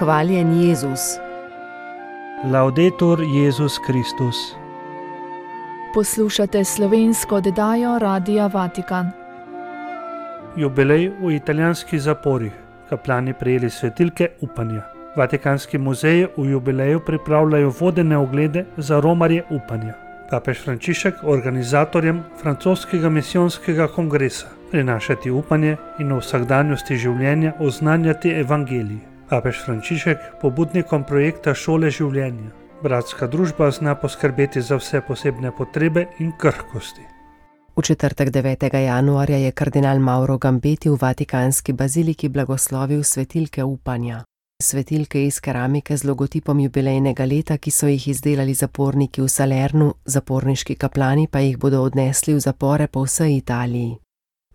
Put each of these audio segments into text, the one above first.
Hvaljen Jezus. Laudetur Jezus Kristus. Poslušate slovensko oddajo Radia Vatikan. Jubilej v italijanskih zaporih. Kaplani prejeli svetilke upanja. Vatikanski muzeji v jubileju pripravljajo vodene oglede za romarje upanja. Papež Frančišek organizatorjem francoskega misijonskega kongresa prinašati upanje in v vsakdanjosti življenja oznanjati evangelij. Papež Frančišek pobudnikom projekta Šole življenja. Bratska družba zna poskrbeti za vse posebne potrebe in krhkosti. V četrtek 9. januarja je kardinal Mauro Gambetti v Vatikanski baziliki blagoslovil svetilke upanja. Svetilke iz keramike z logotipom jubilejnega leta, ki so jih izdelali zaporniki v Salernu, zaporniški kaplani pa jih bodo odnesli v zapore po vsej Italiji.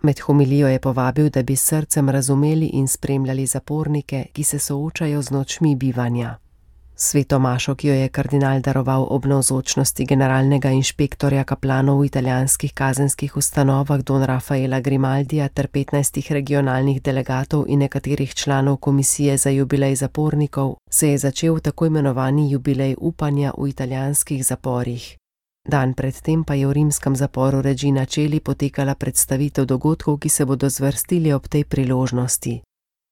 Med homilijo je povabil, da bi s srcem razumeli in spremljali zapornike, ki se soočajo z nočmi bivanja. Sveto mašo, ki jo je kardinal daroval ob navzočnosti generalnega inšpektorja kaplanov v italijanskih kazenskih ustanovah Don Rafaela Grimaldija ter 15 regionalnih delegatov in nekaterih članov komisije za jubilej zapornikov, se je začel tako imenovani jubilej upanja v italijanskih zaporih. Dan predtem pa je v rimskem zaporu Regina Coeli potekala predstavitev dogodkov, ki se bodo zvrstili ob tej priložnosti.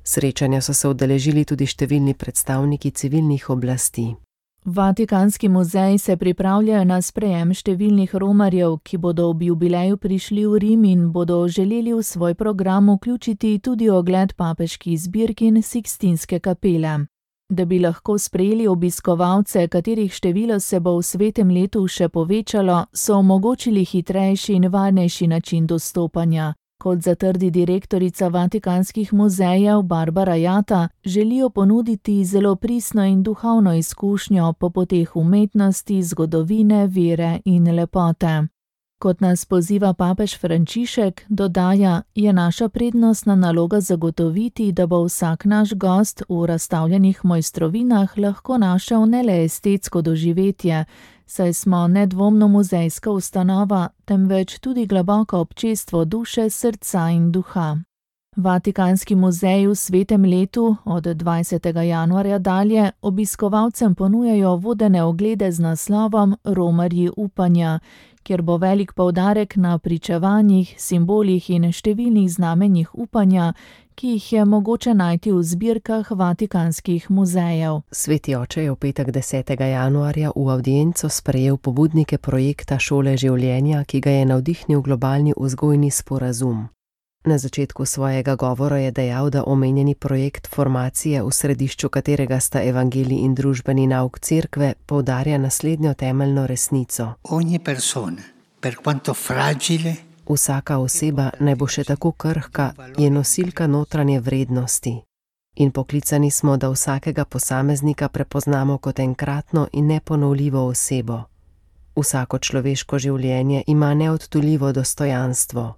Srečanja so se udeležili tudi številni predstavniki civilnih oblasti. Vatikanski muzeji se pripravljajo na sprejem številnih romarjev, ki bodo ob jubileju prišli v Rim in bodo želeli v svoj program vključiti tudi ogled papeških zbirkin Sikstinske kapele. Da bi lahko sprejeli obiskovalce, katerih število se bo v svetem letu še povečalo, so omogočili hitrejši in varnejši način dostopanja. Kot zatrdi direktorica Vatikanskih muzejev Barbara Jatta, želijo ponuditi zelo pristno in duhovno izkušnjo po poteh umetnosti, zgodovine, vere in lepote. Kot nas poziva papež Frančišek, dodaja, je naša prednostna naloga zagotoviti, da bo vsak naš gost v razstavljenih mojstrovinah lahko našel ne le estetsko doživetje, saj smo nedvomno muzejska ustanova, temveč tudi globoko občestvo duše, srca in duha. Vatikanski muzeji v svetem letu od 20. januarja dalje obiskovalcem ponujajo vodene oglede z naslovom Romarji upanja, kjer bo velik poudarek na pričevanjih, simbolih in številnih znamenjih upanja, ki jih je mogoče najti v zbirkah vatikanskih muzejev. Sveti oče je v petek 10. januarja v avdienco sprejel pobudnike projekta Šole življenja, ki ga je navdihnil globalni vzgojni sporazum. Na začetku svojega govora je dejal, da omenjeni projekt formacije, v središču katerega sta evangelij in družbeni nauk cerkve, poudarja naslednjo temeljno resnico. Ogni persona, per quanto fragile, vsaka oseba, naj bo še tako krhka, je nosilka notranje vrednosti. In poklicani smo, da vsakega posameznika prepoznamo kot enkratno in neponovljivo osebo. Vsako človeško življenje ima neodtuljivo dostojanstvo.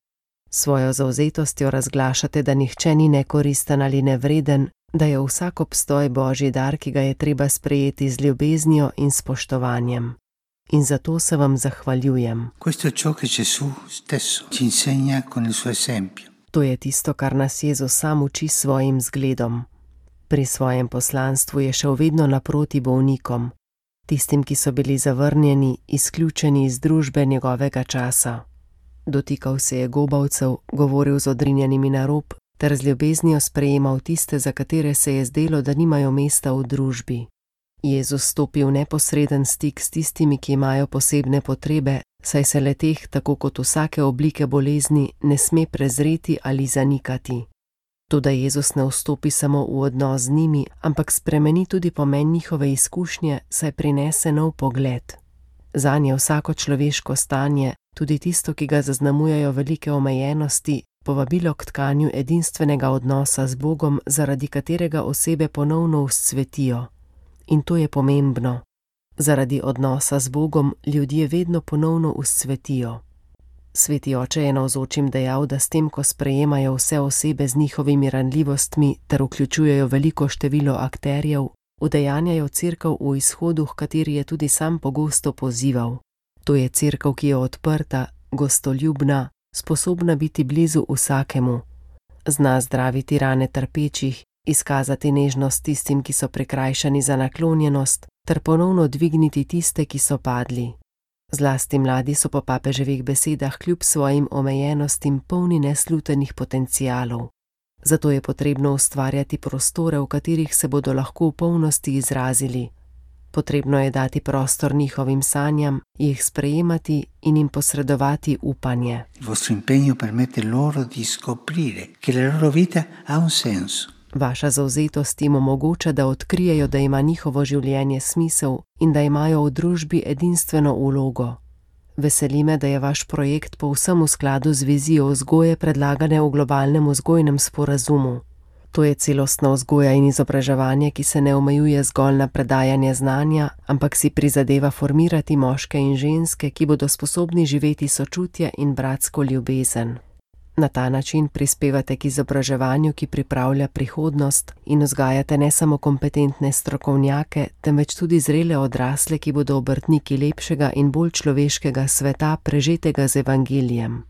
Svojo zavzetostjo razglašate, da nihče ni nekoristen ali nevreden, da je vsak obstoj Božji dar, ki ga je treba sprejeti z ljubeznijo in spoštovanjem. In zato se vam zahvaljujem. To je tisto, kar nas Jezus sam uči svojim zgledom. Pri svojem poslanstvu je šel vedno naproti bolnikom, tistim, ki so bili zavrnjeni, izključeni iz družbe njegovega časa. Dotikal se je gobavcev, govoril z odrinjenimi na rob, ter z ljubeznijo sprejemal tiste, za katere se je zdelo, da nimajo mesta v družbi. Jezus stopi v neposreden stik s tistimi, ki imajo posebne potrebe, saj se le-teh, tako kot vsake oblike bolezni, ne sme prezreti ali zanikati. Toda Jezus ne vstopi samo v odnos z njimi, ampak spremeni tudi pomen njihove izkušnje, saj prinese nov pogled. Zanje vsako človeško stanje, tudi tisto, ki ga zaznamujejo velike omejenosti, povabilo k tkanju edinstvenega odnosa z Bogom, zaradi katerega osebe ponovno vzcvetijo. In to je pomembno. Zaradi odnosa z Bogom ljudje vedno ponovno vzcvetijo. Sveti oče je navzočim dejal, da s tem, ko sprejemajo vse osebe z njihovimi ranljivostmi ter vključujejo veliko število akterjev, udejanjajo cerkev v izhodu, h kateri je tudi sam pogosto pozival. To je cerkev, ki je odprta, gostoljubna, sposobna biti blizu vsakemu. Zna zdraviti rane trpečih izkazati nežnost tistim, ki so prikrajšani za naklonjenost, ter ponovno dvigniti tiste, ki so padli. Zlasti mladi so po papeževih besedah kljub svojim omejenostim polni neslutenih potencialov. Zato je potrebno ustvarjati prostore, v katerih se bodo lahko v polnosti izrazili. Potrebno je dati prostor njihovim sanjam, jih sprejemati in jim posredovati upanje. Il vostro impegno permette loro di scoprire che la loro vita ha un senso. Vaša zavzetost jim omogoča, da odkrijejo, da ima njihovo življenje smisel in da imajo v družbi edinstveno vlogo. Veseli me, da je vaš projekt povsem v skladu z vizijo vzgoje predlagane v globalnem vzgojnem sporazumu. To je celostna vzgoja in izobraževanje, ki se ne omejuje zgolj na predajanje znanja, ampak si prizadeva formirati moške in ženske, ki bodo sposobni živeti sočutje in bratsko ljubezen. Na ta način prispevate k izobraževanju, ki pripravlja prihodnost, in vzgajate ne samo kompetentne strokovnjake, temveč tudi zrele odrasle, ki bodo obrtniki lepšega in bolj človeškega sveta, prežetega z evangelijem.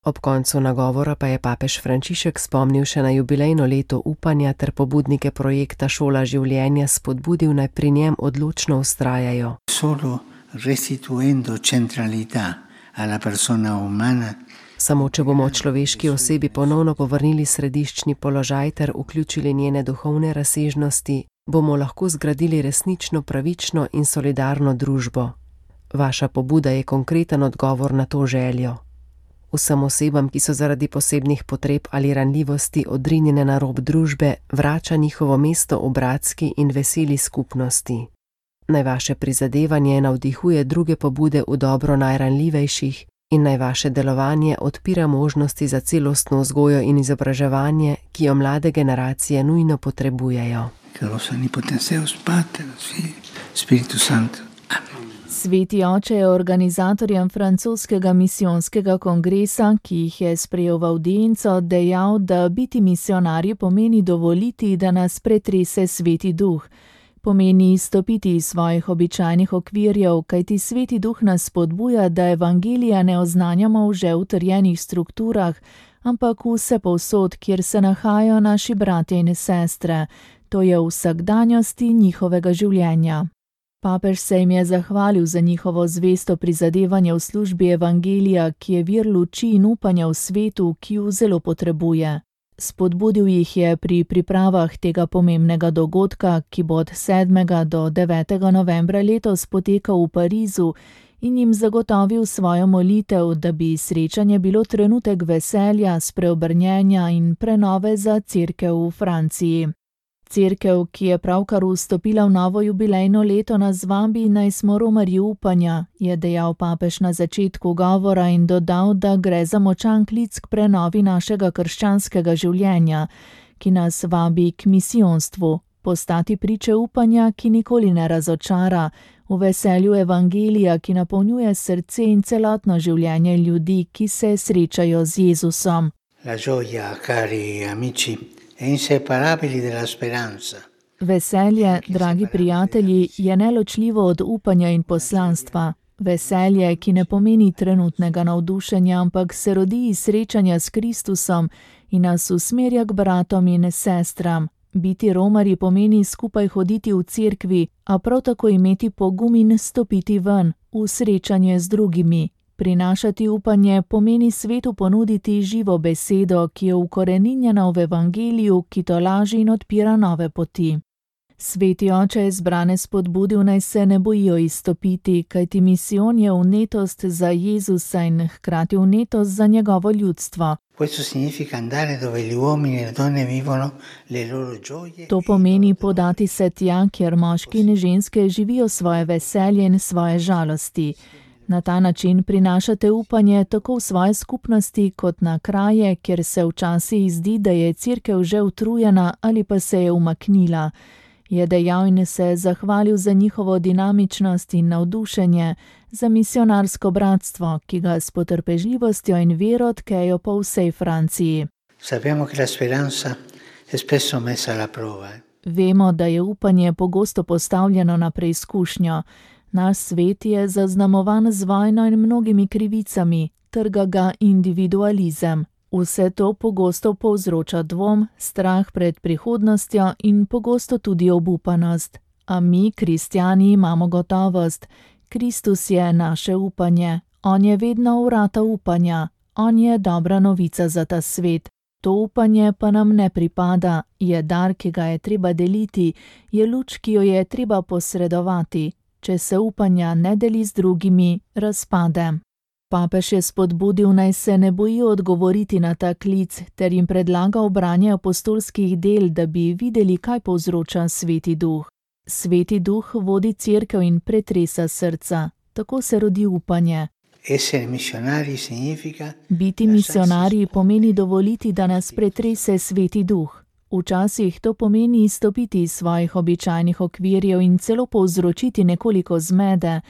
Ob koncu nagovora pa je papež Frančišek spomnil še na jubilejno leto upanja ter pobudnike projekta Šola življenja spodbudil, naj pri njem odločno vztrajajo. Solo restituendo centralità alla persona umana. Samo če bomo človeški osebi ponovno povrnili središčni položaj ter vključili njene duhovne razsežnosti, bomo lahko zgradili resnično pravično in solidarno družbo. Vaša pobuda je konkreten odgovor na to željo. Vsem osebam, ki so zaradi posebnih potreb ali ranljivosti odrinjene na rob družbe, vrača njihovo mesto v bratski in veseli skupnosti. Naj vaše prizadevanje navdihuje druge pobude v dobro najranljivejših in naj vaše delovanje odpira možnosti za celostno vzgojo in izobraževanje, ki jo mlade generacije nujno potrebujejo. Sveti oče je organizatorjem francoskega misijonskega kongresa, ki jih je sprejel v avdienco, dejal, da biti misijonarji pomeni dovoliti, da nas pretrese Sveti Duh. Pomeni izstopiti iz svojih običajnih okvirjev, kajti Sveti Duh nas spodbuja, da evangelija ne oznanjamo v že utrjenih strukturah, ampak vsepovsod, kjer se nahajajo naši bratje in sestre, to je v vsakdanjosti njihovega življenja. Papež se jim je zahvalil za njihovo zvesto prizadevanje v službi evangelija, ki je vir luči in upanja v svetu, ki ju zelo potrebuje. Spodbudil jih je pri pripravah tega pomembnega dogodka, ki bo od 7. do 9. novembra letos potekal v Parizu, in jim zagotovil svojo molitev, da bi srečanje bilo trenutek veselja, spreobrnjenja in prenove za cerkev v Franciji. Cerkev, ki je pravkar vstopila v novo jubilejno leto, nas vabi, naj smo romarji upanja, je dejal papež na začetku govora in dodal, da gre za močan klic k prenovi našega krščanskega življenja, ki nas vabi k misijonstvu, postati priče upanja, ki nikoli ne razočara, v veselju evangelija, ki napolnjuje srce in celotno življenje ljudi, ki se srečajo z Jezusom. La gioia, cari amici, è inseparabile della speranza. Veselje, dragi prijatelji, je neločljivo od upanja in poslanstva. Veselje, ki ne pomeni trenutnega navdušenja, ampak se rodi iz srečanja s Kristusom in nas usmerja k bratom in sestram. Biti romarji pomeni skupaj hoditi v cerkvi, a prav tako imeti pogum in stopiti ven, v srečanje z drugimi. Prinašati upanje pomeni svetu ponuditi živo besedo, ki je ukoreninjena v evangeliju, ki tolaži in odpira nove poti. Sveti oče je zbrane spodbudil, naj se ne bojijo izstopiti, kajti misijon je vnetost za Jezusa in hkrati vnetost za njegovo ljudstvo. To pomeni podati se tja, kjer moški in ženske živijo svoje veselje in svoje žalosti. Na ta način prinašate upanje tako v svoje skupnosti kot na kraje, kjer se včasih zdi, da je cerkev že utrujena ali pa se je umaknila. Je dejal in se zahvalil za njihovo dinamičnost in navdušenje, za misionarsko bratstvo, ki ga s potrpežljivostjo in vero tkejo po vsej Franciji. Vemo, da je upanje pogosto postavljeno na preizkušnjo. Naš svet je zaznamovan z vojno in mnogimi krivicami, trga ga individualizem. Vse to pogosto povzroča dvom, strah pred prihodnostjo in pogosto tudi obupanost. A mi, kristjani, imamo gotovost. Kristus je naše upanje. On je vedno vrata upanja. On je dobra novica za ta svet. To upanje pa nam ne pripada, je dar, ki ga je treba deliti, je luč, ki jo je treba posredovati. Če se upanja ne deli z drugimi, razpade. Papež je spodbudil, naj se ne bojijo odgovoriti na ta klic, ter jim predlagal branje apostolskih del, da bi videli, kaj povzroča Sveti Duh. Sveti Duh vodi Cerkev in pretresa srca. Tako se rodi upanje. Biti misionarji pomeni dovoliti, da nas pretrese Sveti Duh. Včasih to pomeni izstopiti iz svojih običajnih okvirjev in celo povzročiti nekoliko zmede,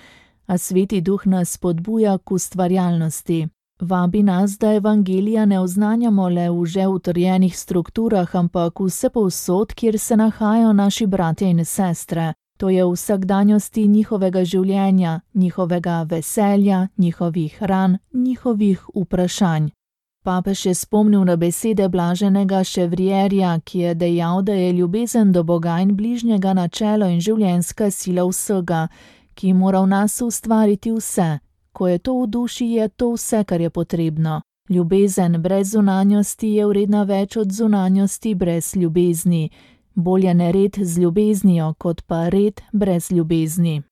a Sveti Duh nas spodbuja k ustvarjalnosti. Vabi nas, da evangelija ne oznanjamo le v že utrjenih strukturah, ampak vsepovsod, kjer se nahajajo naši bratje in sestre. To je v vsakdanjosti njihovega življenja, njihovega veselja, njihovih ran, njihovih vprašanj. Papež je spomnil na besede blaženega Chevrierja, ki je dejal, da je ljubezen do Boga in bližnjega načelo in življenjska sila vsega, ki mora v nas ustvariti vse. Ko je to v duši, je to vse, kar je potrebno. Ljubezen brez zunanjosti je vredna več od zunanjosti brez ljubezni. Bolje nered z ljubeznijo, kot pa red brez ljubezni.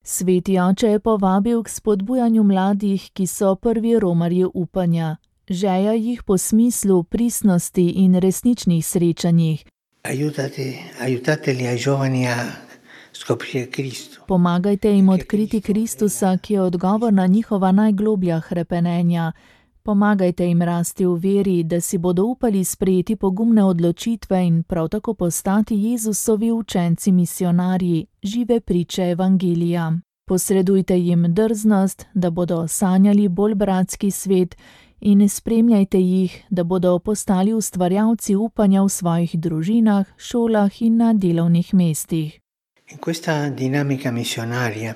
Sveti oče je povabil k spodbujanju mladih, ki so prvi romarji upanja. Žeja jih po smislu, pristnosti in resničnih srečanjih. Pomagajte jim odkriti Kristusa, ki je odgovor na njihova najgloblja hrepenenja. Pomagajte jim rasti v veri, da si bodo upali sprejeti pogumne odločitve in prav tako postati Jezusovi učenci misionarji, žive priče evangelija. Posredujte jim drznost, da bodo sanjali bolj bratski svet in spremljajte jih, da bodo postali ustvarjalci upanja v svojih družinah, šolah in na delovnih mestih. In questa dinamica missionaria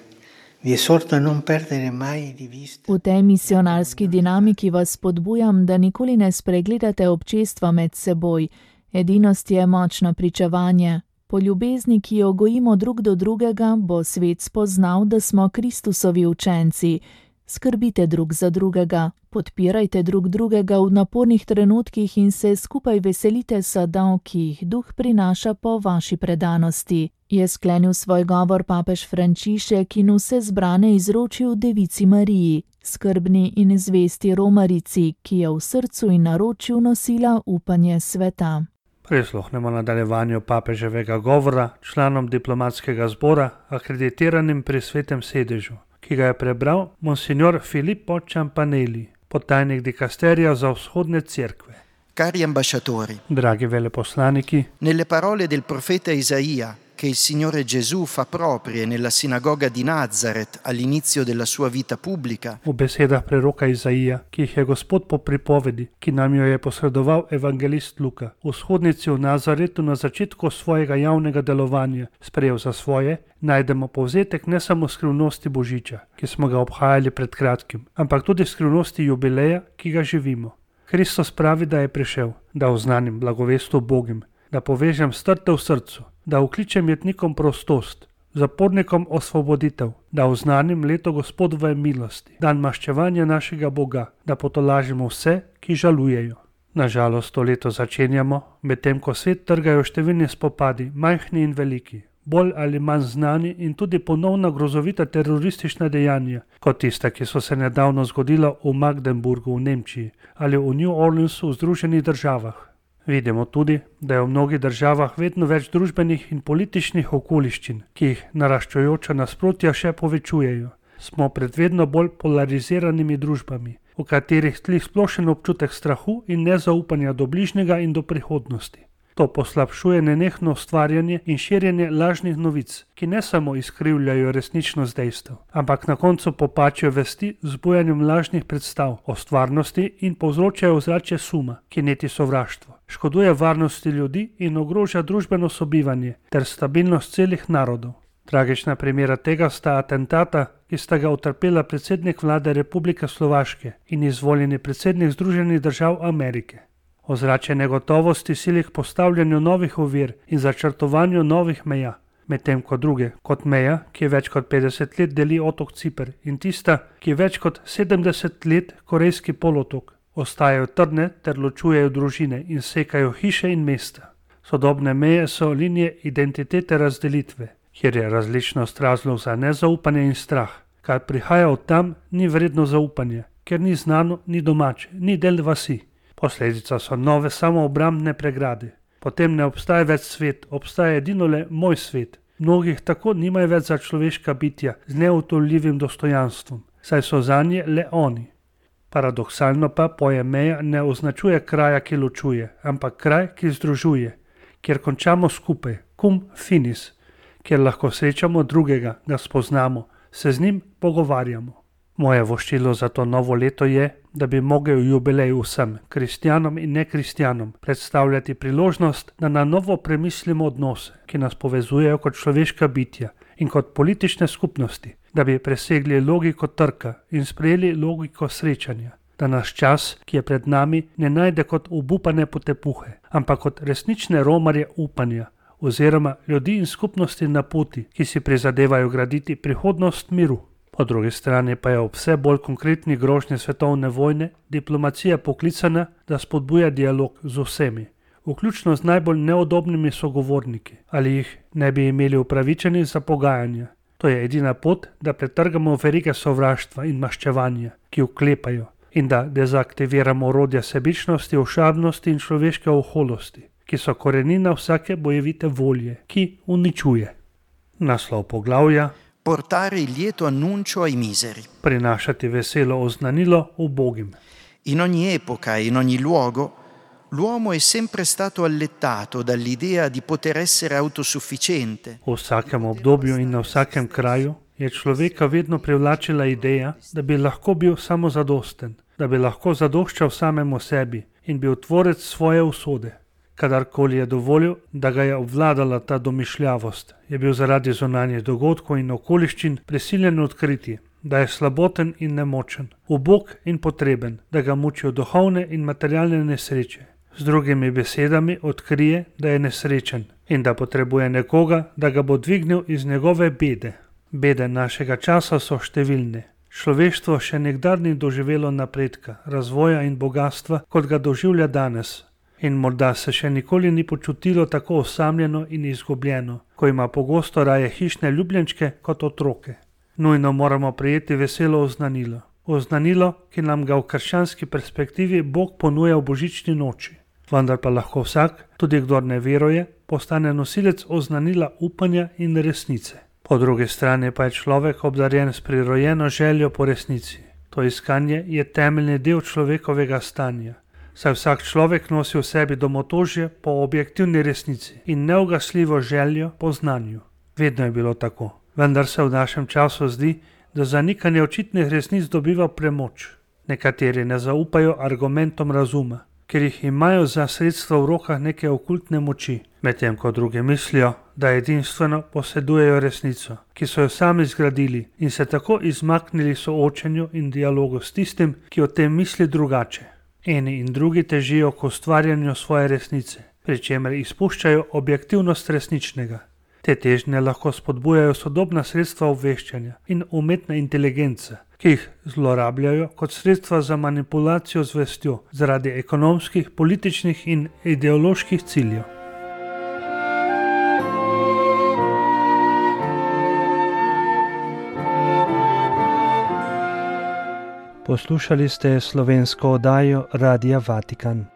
V tej misionarski dinamiki vas spodbujam, da nikoli ne spregledate občestva med seboj. Edinost je močno pričevanje. Po ljubezni, ki jo gojimo drug do drugega, bo svet spoznal, da smo Kristusovi učenci. Skrbite drug za drugega, podpirajte drug drugega v napornih trenutkih in se skupaj veselite sadov, ki jih Duh prinaša po vaši predanosti. Je sklenil svoj govor papež Frančišek in vse zbrane izročil Devici Mariji, skrbni in zvesti romarici, ki je v srcu in naročju nosila upanje sveta. Prisluhnemo nadaljevanju papeževega govora članom diplomatskega zbora, akreditiranim pri Svetem sedežu, ki ga je prebral monsignor Filippo Ciampanelli, podtajnik dikasterija za vzhodne cerkve. Cari ambasciatori, dragi veleposlaniki, nelle parole del profeta Isaia, che il Signore Gesù fa proprie nella sinagoga di Nazaret all'inizio della sua vita pubblica. V besedah preroka Izaija, ki jih je Gospod po pripovedi, ki nam jo je posredoval evangelist Luka, v shodnici v Nazaretu na začetku svojega javnega delovanja sprejel za svoje, najdemo povzetek ne samo skrivnosti Božiča, ki smo ga obhajali pred kratkim, ampak tudi skrivnosti jubileja, ki ga živimo. Kristus pravi, da je prišel, da oznanim blagovest ubogim, da povežem strte v srcu, da vkličem jetnikom prostost, zapornikom osvoboditev, da oznanim leto Gospodove milosti, dan maščevanja našega Boga, da potolažimo vse, ki žalujejo. Nažalost, to leto začenjamo, medtem ko svet trgajo številni spopadi, majhni in veliki, bolj ali manj znani in tudi ponovna grozovita teroristična dejanja, kot tista, ki so se nedavno zgodila v Magdeburgu v Nemčiji ali v New Orleansu v Združenih državah. Vidimo tudi, da je v mnogih državah vedno več družbenih in političnih okoliščin, ki jih naraščajoča nasprotja še povečujejo. Smo pred vedno bolj polariziranimi družbami, v katerih tli splošen občutek strahu in nezaupanja do bližnjega in do prihodnosti. To poslabšuje nenehno ustvarjanje in širjenje lažnih novic, ki ne samo izkrivljajo resničnost dejstev, ampak na koncu popačijo vesti z bujanjem lažnih predstav o stvarnosti in povzročajo ozračje suma, ki neti sovraštvo, škoduje varnosti ljudi in ogroža družbeno sobivanje ter stabilnost celih narodov. Tragična primera tega sta atentata, ki sta ga utrpela predsednik vlade Republike Slovaške in izvoljeni predsednik Združenih držav Amerike. Ozračje negotovosti sili k postavljanju novih ovir in začrtovanju novih meja, medtem ko druge, kot meja, ki več kot 50 let deli otok Ciper, in tista, ki več kot 70 let Korejski polotok, ostajajo trdne ter ločujejo družine in sekajo hiše in mesta. Sodobne meje so linije identitete razdelitve, kjer je različnost razlog za nezaupanje in strah. Kar prihaja od tam, ni vredno zaupanja, ker ni znano, ni domače, ni del vasi. Posledica so nove samoobrambne pregrade. Potem ne obstaja več svet, obstaja edino le moj svet. Mnogih tako nimajo več za človeška bitja z neutolljivim dostojanstvom, saj so zanje le oni. Paradoksalno pa pojem meja ne označuje kraja, ki ločuje, ampak kraj, ki združuje, kjer končamo skupaj, cum finis, kjer lahko srečamo drugega, ga spoznamo, se z njim pogovarjamo. Moje voščilo za to novo leto je, da bi mogel jubilej vsem, kristjanom in nekristjanom, predstavljati priložnost, da na novo premislimo odnose, ki nas povezujejo kot človeška bitja in kot politične skupnosti, da bi presegli logiko trka in sprejeli logiko srečanja, da naš čas, ki je pred nami, ne najde kot obupane potepuhe, ampak kot resnične romarje upanja, oziroma ljudi in skupnosti na poti, ki si prizadevajo graditi prihodnost miru. Po drugi strani pa je ob vse bolj konkretni grožnji svetovne vojne diplomacija poklicana, da spodbuja dialog z vsemi, vključno z najbolj neudobnimi sogovorniki, ali jih ne bi imeli upravičeni za pogajanja. To je edina pot, da pretrgamo verige sovraštva in maščevanja, ki vklepajo, in da dezaktiviramo orodja sebičnosti, ošabnosti in človeške oholosti, ki so korenina vsake bojevite volje, ki uničuje. Naslov poglavja: Portare il lieto annuncio ai miseri. Prinašati veselo oznanilo ubogim. In ogni epoca e in ogni luogo, l'uomo è sempre stato allettato dall'idea di poter essere autosufficiente. V vsakem obdobju in na vsakem kraju je človeka vedno privlačila ideja, da bi lahko bil samozadosten, da bi lahko zadoščal samemu sebi in bil tvorec svoje usode. Kadarkoli je dovolil, da ga je obvladala ta domišljavost, je bil zaradi zunanjih dogodkov in okoliščin prisiljen odkriti, da je slaboten in nemočen, ubog in potreben, da ga mučijo duhovne in materialne nesreče. Z drugimi besedami odkrije, da je nesrečen in da potrebuje nekoga, da ga bo dvignil iz njegove bede. Bede našega časa so številne. Človeštvo še nikdar ni doživelo napredka, razvoja in bogatstva, kot ga doživlja danes. In morda se še nikoli ni počutilo tako osamljeno in izgubljeno, ko ima pogosto raje hišne ljubljenčke kot otroke. Nujno moramo prejeti veselo oznanilo. Oznanilo, ki nam ga v krščanski perspektivi Bog ponuja v božični noči. Vendar pa lahko vsak, tudi kdor ne veruje, postane nosilec oznanila upanja in resnice. Po drugi strani pa je človek obdarjen s prirojeno željo po resnici. To iskanje je temeljni del človekovega stanja. Saj vsak človek nosi v sebi domotožje po objektivni resnici in neugasljivo željo po znanju. Vedno je bilo tako, vendar se v našem času zdi, da zanikanje očitnih resnic dobiva premoč. Nekateri ne zaupajo argumentom razuma, ker jih imajo za sredstvo v rokah neke okultne moči, medtem ko drugi mislijo, da edinstveno posedujejo resnico, ki so jo sami zgradili in se tako izmaknili soočenju in dialogu s tistim, ki o tem misli drugače. Eni in drugi težijo k ustvarjanju svoje resnice, pri čemer izpuščajo objektivnost resničnega. Te težnje lahko spodbujajo sodobna sredstva obveščanja in umetna inteligenca, ki jih zlorabljajo kot sredstva za manipulacijo z vestjo zaradi ekonomskih, političnih in ideoloških ciljev. Poslušali ste slovensko oddajo Radia Vatikan.